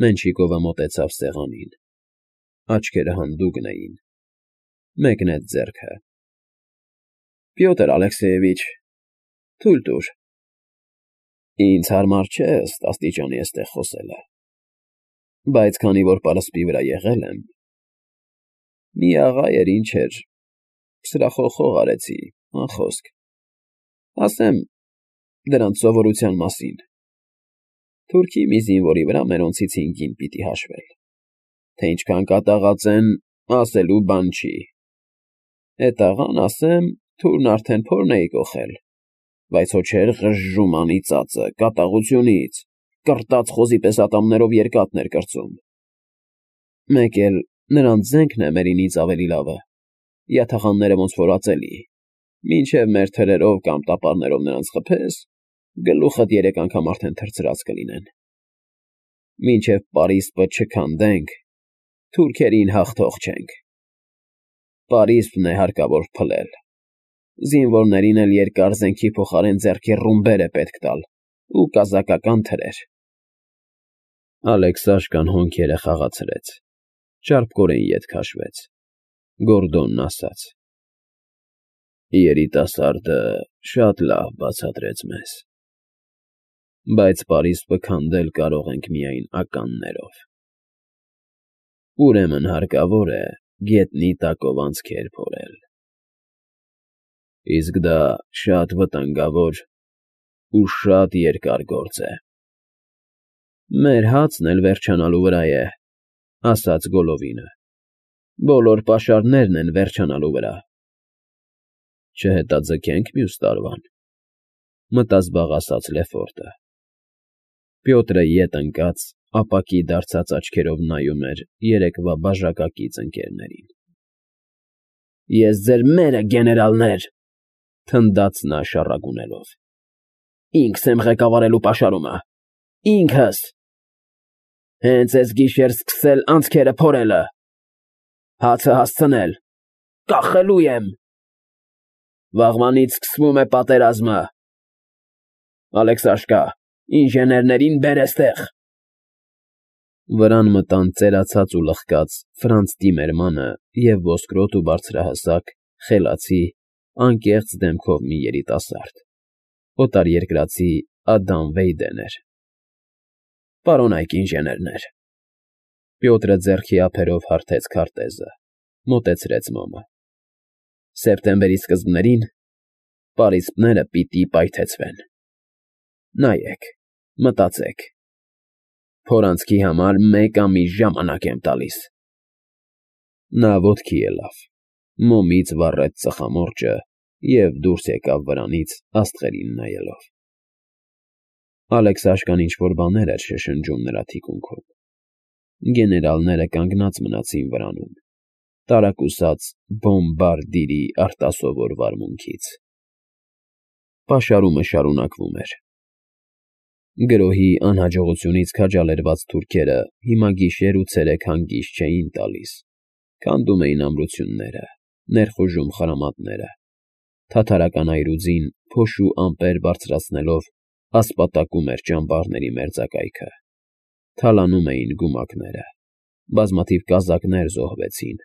Մենշիկովը մոտեցավ սեղանին, աչքերը հանդուգն էին, մեկնեց ձեռքը։ Պյոտր Ալեքսեևիչ, թույլ տուր։ Ինձ հարմար չէ ըստ աստիճանի էստեղ խոսելը, բայց քանի որ պարսպի վրա եղել եմ, մի աղա էր, ինչ էր, սրախոխող արեցի, անխոսք, ասեմ դրանց սովորության մասին, թուրքի մի զինվորի վրա մերոնցից 5-ին պիտի հաշվել, թե ինչքան կատաղած են, ասելու բան չի, էդ աղան, ասեմ, թուրն արդեն փորն էի կոխել, բայց հո չէր ղժժում անիծածը, կատաղությունից, կռտած խոզի պես ատամներով երկաթներ կրծում, մեկ էլ նրանց զենքն է մերինից ավելի լավը, յաթաղանները ոնց որ ածելի, մինչև մեր թրերով կամ տապարներով նրանց խփես, գլուխդ 3 անգամ արդեն թրծրած կլինեն, մինչև պարիսպը չքանդենք, թուրքերին հաղթող չենք, պարիսպն է հարկավոր փլել, զինվորներին էլ երկար զենքի փոխարեն ձեռքի ռումբեր է պետք տալ ու կազակական թրեր։ Ալեքսաշկան հոնքերը խաղացրեց, ճարպկորեն ետ քաշվեց, Գորդոնն ասաց. Երիտասարդը շատ լավ բացատրեց մեզ, բայց պարիսպը քանդել կարող ենք միայն ականներով։ Ուրեմն հարկավոր է գետնի տակով անցքեր փորել։ Իսկ դա շատ վտանգավոր ու շատ երկար գործ է։ Մեր հացն էլ վերջանալու վրա է, ասաց Գոլովինը։ Բոլոր պաշարներն են վերջանալու վրա։ Չհետաձգենք մյուս տարվան, մտազբաղ ասաց Լեֆորտը։ Պյոտրը ետ ընկած, ապակի դարձած աչքերով նայում էր երեկվա բաժակակից ընկերներին։ Ես ձեր մերը, գեներալներ, թնդաց նա շառագունելով։ Ինքս եմ ղեկավարելու պաշարումը, ինքս։ Հենց այս գիշեր սկսել անցքերը փորելը, հացը հասցնել, կախելու եմ։ Վաղվանից սկսվում է պատերազմը։ Ալեքսաշկա, ինժեներներին բեր էստեղ։ Վրան մտան ծերացած ու լխկած Ֆրանց Տիմերմանը և ոսկրոտ ու բարձրահասակ, խելացի, անկեղծ դեմքով մի երիտասարդ, օտարերկրացի Ադամ Վեյդեներ։ Պարոնայք ինժեներներ։ Պյոտրը ձեռքի ափերով հարթեց քարտեզը, մոտեցրեց մոմը։ Սեպտեմբերի սկզբներին պարիսպները պիտի պայթեցվեն։ Նայեք, մտածեք։ Փորանցքի համար 1 ամիս ժամանակ եմ տալիս։ Նա ոտքի ելավ, մոմից վառեց ծխամորճը և դուրս եկավ վրանից աստղերին նայելով։ Ալեքսաշկան ինչ-որ բաներ էր շշնջում նրա թիկունքում։ Գեներալները կանգնած մնացին վրանում, տարակուսած բոմբարդիրի արտասովոր վարմունքից։ Պաշարումը շարունակվում էր։ Գրոհի անհաջողությունից քաջալերված թուրքերը հիմա գիշեր ու ցերեկ հանգիստ չէին տալիս, քանդում էին ամրությունները, ներխուժում խրամատները, թաթարական այրուձին փոշու ամպեր բարձրացնելով ասպատակում էր ճամբարների մերձակայքը, թալանում էին գումակները, բազմաթիվ կազակներ զոհվեցին,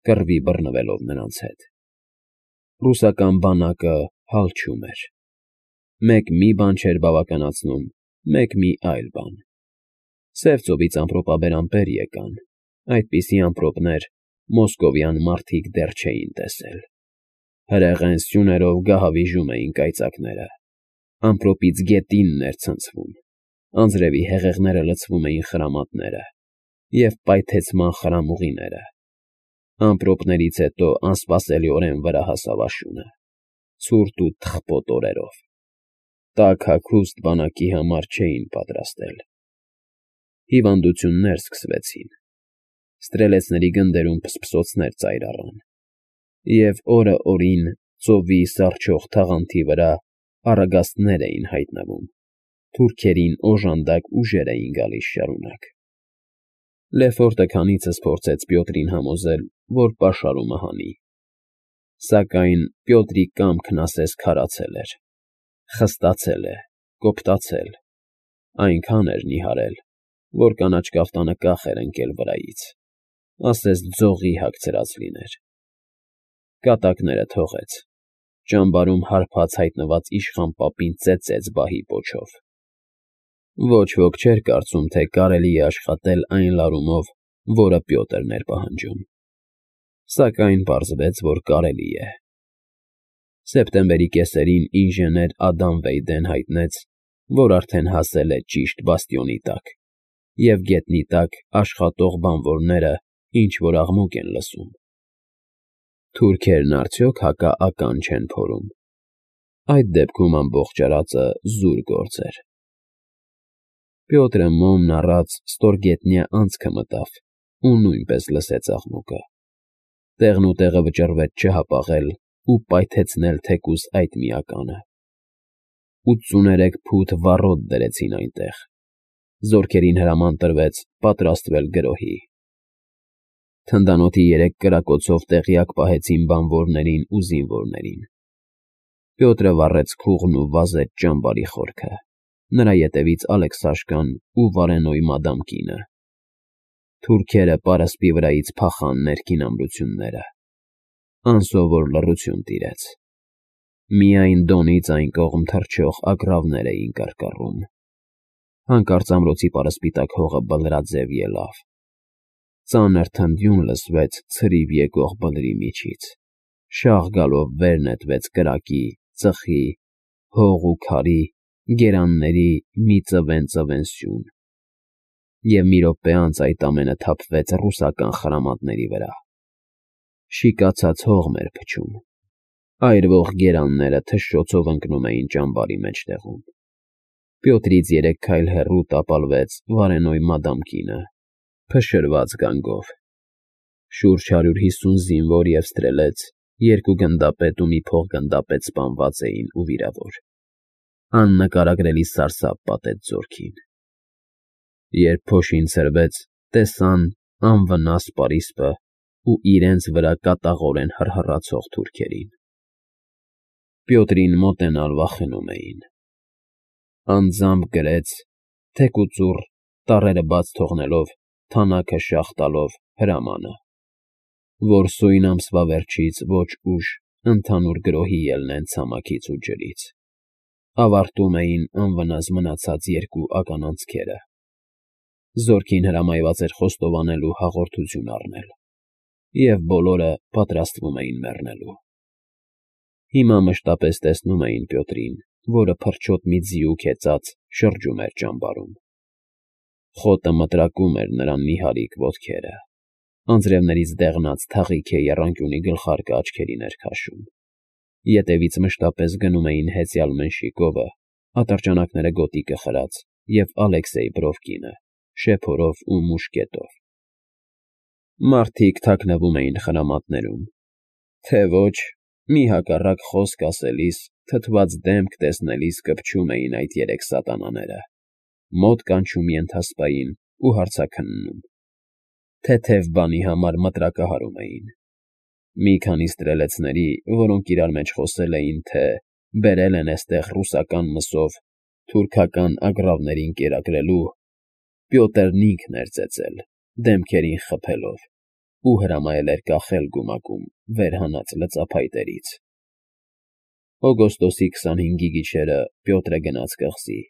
կռվի բռնվելով նրանց հետ։ Ռուսական բանակը հալչում էր։ Մեկ մի բան չէր բավականացնում, մեկ մի այլ բան։ Սև ծովից ամպրոպաբեր ամպեր եկան, այդպիսի ամպրոպներ մոսկովյան մարդիկ դեռ չէին տեսել։ Հրեղեն սյուներով գահավիժում էին կայծակները, ամպրոպից գետինն էր ցնցվում, անձրևի հեղեղները լցվում էին խրամատները և պայթեցման խրամուղիները։ Ամպրոպներից հետո անսպասելիորեն վրա հասավ աշունը, ցուրտ ու թխպոտ օրերով։ Տաք հագուստ բանակի համար չէին պատրաստել։ Հիվանդություններ սկսվեցին, ստրելեցների գնդերում փսփսոցներ ծայր առան, և օրը օրին ծովի սառչող թաղանթի վրա առագաստներ էին հայտնվում, թուրքերին օժանդակ ուժեր էին գալիս շարունակ։ Լեֆորտը քանիցս փորձեց Պյոտրին համոզել, որ պաշարումը հանի։ Սակայն Պյոտրի կամքն ասես քարացել էր, խստացել է, կոպտացել, այնքան էր նիհարել, որ կանաչ կաֆտանը կախ էր ընկել վրայից, ասես ձողի հագցրած լիներ։ Կատակները թողեց, ճամբարում հարբած հայտնված իշխան պապին ծեծեց բահի պոչով։ Ոչ ոք չէր կարծում, թե կարելի է աշխատել այն լարումով, որը Պյոտրն էր պահանջում, սակայն պարզվեց, որ կարելի է։ Սեպտեմբերի կեսերին ինժեներ Ադամ Վեյդեն հայտնեց, որ արդեն հասել է ճիշտ բաստիոնի տակ, և գետնի տակ աշխատող բանվորները ինչ-որ աղմուկ են լսում։ Թուրքերն արդյոք հակաական չեն փորում։ Այդ դեպքում ամբողջ արածը զուր գործ էր։ Պյոտրը մոմն առած ստորգետնյա անցքը մտավ ու նույնպես լսեց աղմուկը։ Տեղն ու տեղը վճռվեց չհապաղել ու պայթեցնել թեկուզ այդ միականը։ 83 ֆուտ վառոդ դրեցին այնտեղ։ Զորքերին հրաման տրվեց պատրաստվել գրոհի։ Թնդանոթի 3 կրակոցով տեղյակ պահեցին բանվորներին ու զինվորներին։ Պյոտրը վառեց քուղն ու վազեց ճամբարի խորքը։ Նրա ետևից Ալեքսաշկան ու Վարենոյի մադամ կինը։ Թուրքերը պարսպի վրայից փախան ներքին ամրությունները։ Անսովոր լռություն տիրեց։ Միայն Դոնից այն կողմ թռչող ագռավներ էին կռկռում։ Հանկարծ ամրոցի պարսպիտակ հողը բլրաձև ելավ։ Ծանր թնդյուն լսվեց ցրիվ եկող բլրի միջից։ Շաղ գալով վեր նետվեց կրակի, ծխի, հող ու քարի, գերանների մի ծվեն սյուն։ Եվ մի րոպե անց այդ ամենը թափվեց ռուսական խրամատների վրա։ Շիկացած հողմ էր փչում։ Այրվող գերանները թշշոցով ընկնում էին ճամբարի մեջտեղում։ Պյոտրից 3 քայլ հեռու տապալվեց Վարենոյի մադամ կինը, փշրված գանգով։ Շուրջ 150 զինվոր և ստրելեց, 2 գնդապետ ու մի փոխգնդապետ սպանված էին ու վիրավոր։ Աննկարագրելի սարսափ պատեց զորքին։ Երբ փոշին ցրվեց, տեսան անվնաս պարիսպը ու իրենց վրա կատաղորեն հռհռացող թուրքերին։ Պյոտրին մոտենալ վախենում էին։ Անձամբ գրեց, թեկուծուռ, տառերը բաց թողնելով, թանաքը շաղ տալով հրամանը, որ սույն ամսվա վերջից ոչ ուշ ընդհանուր գրոհի ելնեն ցամաքից ու ջրից։ Ավարտում էին անվնաս մնացած 2 ականանցքերը։ Զորքին հրամայված էր խոստովանելու հաղորդություն առնել, և բոլորը պատրաստվում էին մեռնելու։ Հիմա մշտապես տեսնում էին Պյոտրին, որը փրչոտ մի ձիուկ հեծած շրջում էր ճամբարում։ Խոտը մտրակում էր նրան նիհարիկ ոտքերը։ Անձրևներից դեղնած թաղիք է եռանկյունի գլխարկը աչքերին էր քաշում։ Ետևից մշտապես գնում էին հեծյալ Մենշիկովը, ատրճանակները գոտիկը խրած, և Ալեքսեյ Բրովկինը, շեփորով ու մուշկետով։ Մարդիկ թաքնվում էին խրամատներում, թե ոչ, մի հակառակ խոսք ասելիս, թթված դեմք տեսնելիս կպչում էին այդ 3 սատանաները, մոտ կանչում ենթասպային ու հարցաքննում։ Թեթև բանի համար մտրակահարում էին։ Մի քանի ստրելեցների, որոնք իրար մեջ խոսել էին, թե բերել են էստեղ ռուսական մսով թուրքական ագռավներին կերակրելու, Պյոտրն ինքն էր ծեծել, դեմքերին խփելով, ու հրամայել էր կախել գումակում վեր հանած լծափայտերից։ Օգոստոսի 25-ի գիշերը Պյոտրը գնաց կղզի,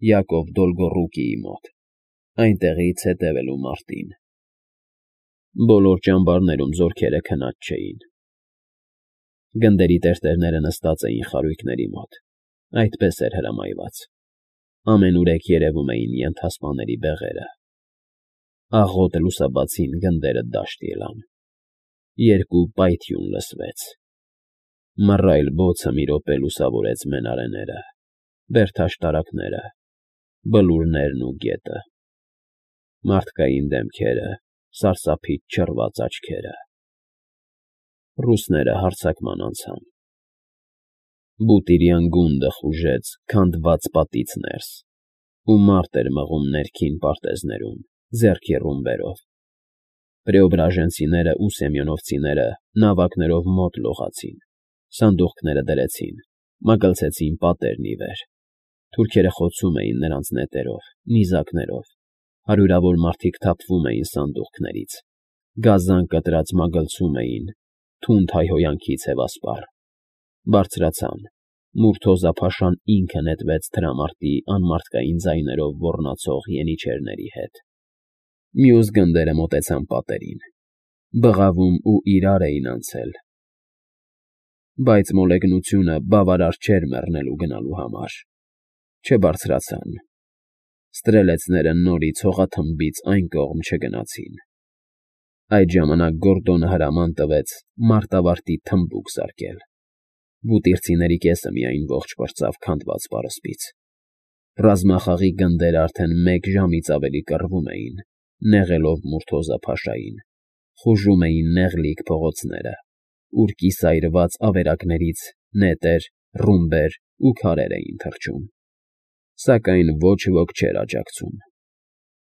Յակով Դոլգոռուկիի մոտ, այնտեղից հետևելու մարտին։ Բոլոր ճամբարներում զորքերը քնած չէին։ Գնդերի տերտերները նստած էին խարույկների մոտ, այդպես էր հրամայված։ Ամենուրեք երևում էին ենթասպաների բեղերը։ Աղոտ լուսաբացին գնդերը դաշտ ելան։ 2 պայթյուն լսվեց։ Մռայլ բոցը մի րոպե լուսավորեց մենարեները, բերդաշտարակները, բլուրներն ու գետը։ Մարդկային դեմքերը, սարսափից չռված աչքերը։ Ռուսները հարձակման անցան։ Բուտիրյան գունդը խուժեց քանդված պատից ներս, ու մարդ էր մղում ներքին պարտեզներում, ձեռքի ռումբերով։ Պրեոբրաժենցիները ու սեմյոնովցիները նավակներով մոտ լողացին, սանդուղքները դրեցին, մագլցեցին պատերն ի վեր։ Թուրքերը խոցում էին նրանց նետերով, նիզակներով, Հարյուրավոր մարդիկ թափվում էին սանդուղքներից, գազան կտրած մագլցում էին, թունդ հայհոյանքի ցևասպառ։ Բարձրացան, Մուրթոզա-փաշան ինքը նետվեց թրամարտի անմարդկային ձայներով ոռնացող ենիչերների հետ։ Մյուս գնդերը մոտեցան պատերին, բղավում ու իրար էին անցել, բայց մոլեգնությունը բավարար չէր մեռնելու գնալու համար։ Չբարձրացան։ Ստրելեցները նորից հողաթմբից այն կողմ չգնացին։ Այդ ժամանակ Գորդոնը հրաման տվեց մարտավարտի թմբուկ զարկել։ Բուտիռցիների կեսը միայն ողջ պրծավ քանդված պարսպից։ Ռազմախաղի գնդերը արդեն 1 ժամից ավելի կռվում էին, նեղելով Մուրթոզա-փաշային, խուժում էին նեղլիկ փողոցները, ուր կիսայրված ավերակներից նետեր, ռումբեր ու քարեր էին թռչում։ Սակայն ոչ ոք չէր աջակցում։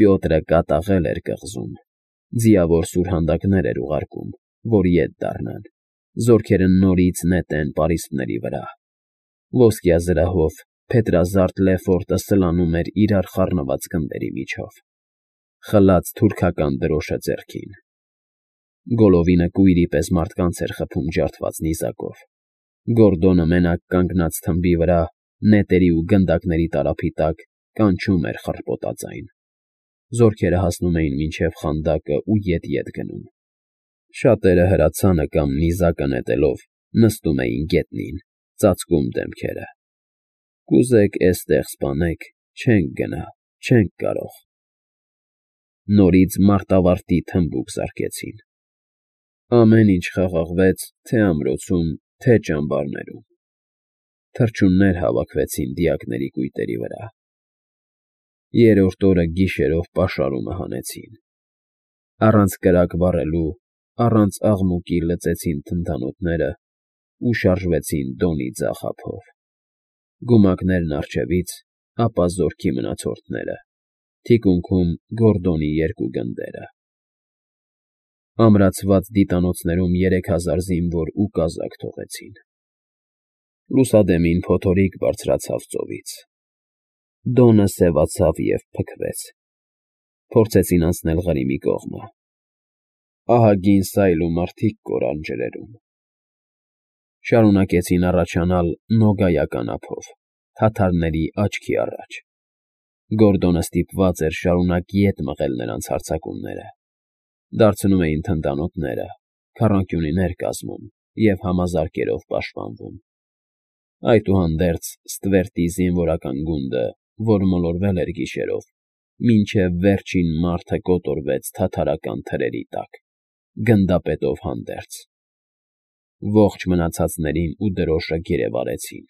Պյոտրը կատաղել էր կղզում, ձիավոր սուրհանդակներ էր ուղարկում, որ ետ դառնան, զորքերը նորից նետեն պարիսպների վրա։ Ոսկյա զրահով փետրազարդ Լեֆորտը սլանում էր իրար խառնված գնդերի միջով, խլած թուրքական դրոշը ձեռքին։ Գոլովինը կույրի պես մարդկանց էր խփում ջարդված նիզակով։ Գորդոնը մենակ կանգնած թմբի վրա, նետերի ու գնդակների տարափի տակ կանչում էր խռպոտաձայն։ Զորքերը հասնում էին մինչև խանդակը ու ետ գնում։ Շատերը հրացանը կամ նիզակը նետելով նստում էին գետնին, ծածկում դեմքերը։ Կուզեք էստեղ սպանեք, չենք գնա, չենք կարող։ Նորից մարտավարտի թմբուկ զարկեցին։ Ամեն ինչ խաղաղվեց թե ամրոցում, թե ճամբարներում։ Թռչուններ հավաքվեցին դիակների կույտերի վրա։ Երրորդ օրը գիշերով պաշարումը հանեցին։ Առանց կրակ վառելու, առանց աղմուկի լծեցին թնդանոթները ու շարժվեցին Դոնի ձախ ափով։ Գումակներն առջևից, ապա զորքի մնացորդները, թիկունքում Գորդոնի 2 գնդերը։ Ամրացված դիտանոցներում 3000 զինվոր ու կազակ թողեցին։ Լուսադեմին փոթորիկ բարձրացավ ծովից։ Դոնը սևացավ և փքվեց։ Փորձեցին անցնել Ղրիմի կողմը։ Ահագին սայլ ու մարդիկ կորան ջրերում։ Շարունակեցին առաջանալ Նոգայական ափով, թաթարների աչքի առաջ։ Գորդոնը ստիպված էր շարունակ ետ մղել նրանց հարձակումները։ Դարձնում էին թնդանոթները, քառանկյունիներ կազմում և համազարկերով պաշտպանվում։ Այդուհանդերձ Ստվերտի զինվորական գունդը, որ մոլորվել էր գիշերով, մինչև վերջին մարդը կոտորվեց թաթարական թրերի տակ, գնդապետով հանդերձ։ Ողջ մնացածներին ու դրոշը գերեվարեցին։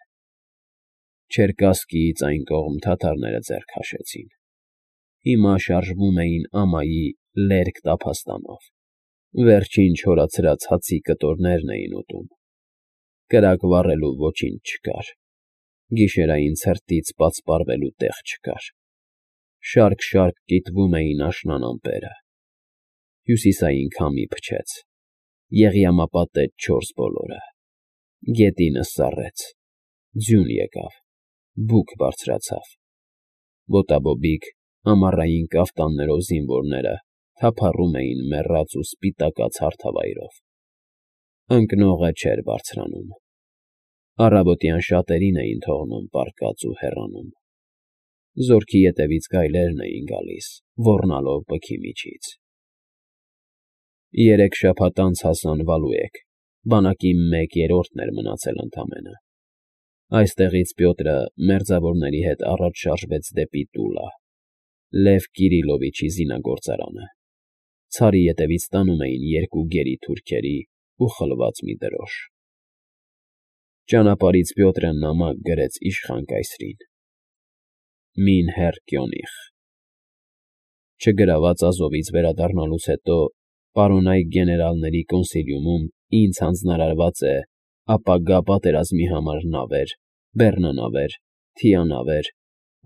Չերկասկիից այն կողմ թաթարները ձեռք քաշեցին։ Հիմա շարժվում էին ամայի լերկ տափաստանով։ Վերջին չորացրած հացի կտորներն էին ուտում։ Կրակ վառելու ոչինչ չկար։ Գիշերային ցրտից պատսպարվելու տեղ չկար։ Շարք կիտվում էին աշնան ամպերը։ Հյուսիսային քամի փչեց։ Եղյամապատեց 4 բոլորը։ Գետինը սառեց։ Ձյուն եկավ։ Բուք բարձրացավ։ Ոտաբոբիկ, ամառային կաֆտաններով զինվորները թափառում էին մեռած ու սպիտակած հարթավայրով։ Ընկնողը չէր բարձրանում։ Առավոտյան շատերին էին թողնում պառկած ու հեռանում։ Զորքի ետևից գայլերն էին գալիս, ոռնալով բքի միջից։ 3 շաբաթ անց հասան Վալուեք, բանակի 1/3-ն էր մնացել ընդամենը։ Այստեղից Պյոտրը մերձավորների հետ առաջ շարժվեց դեպի Տուլա, Լև Կիրիլովիչի զինագործարանը։ Ցարի ետևից տանում էին 2 գերի թուրքերի ու խլված մի դրոշ։ Ճանապարհից Պյոտրը նամակ գրեց իշխան կայսրին. Մին հեռ Կյոնիղ։ Չգրաված Ազովից վերադառնալուց հետո պարոնայք գեներալների կոնսիլիումում ինձ հանձնարարված է ապագա պատերազմի համար նավեր, բեռնանավեր, թիանավեր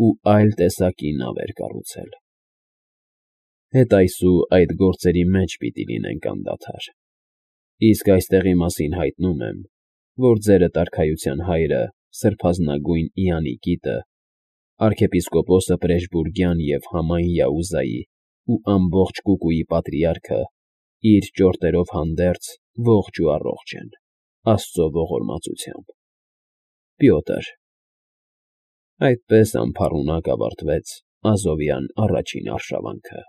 ու այլ տեսակի նավեր կառուցել։ Հետայսու այդ գործերի մեջ պիտի լինենք անդադար։ Իսկ այստեղի մասին հայտնում եմ, որ ձերդ արքայության հայրը, սրբազնագույն Իանիկիտը, Արքեպիսկոպոսը Պրեժբուրգյան և համայն Յաուզայի ու ամբողջ Կուկուի պատրիարքը իր ճորտերով հանդերձ ողջ ու առողջ են, Աստծո ողորմածությամբ։ Պյոտր։ Այդպես անփառունակ ավարտվեց Ազովյան առաջին արշավանքը։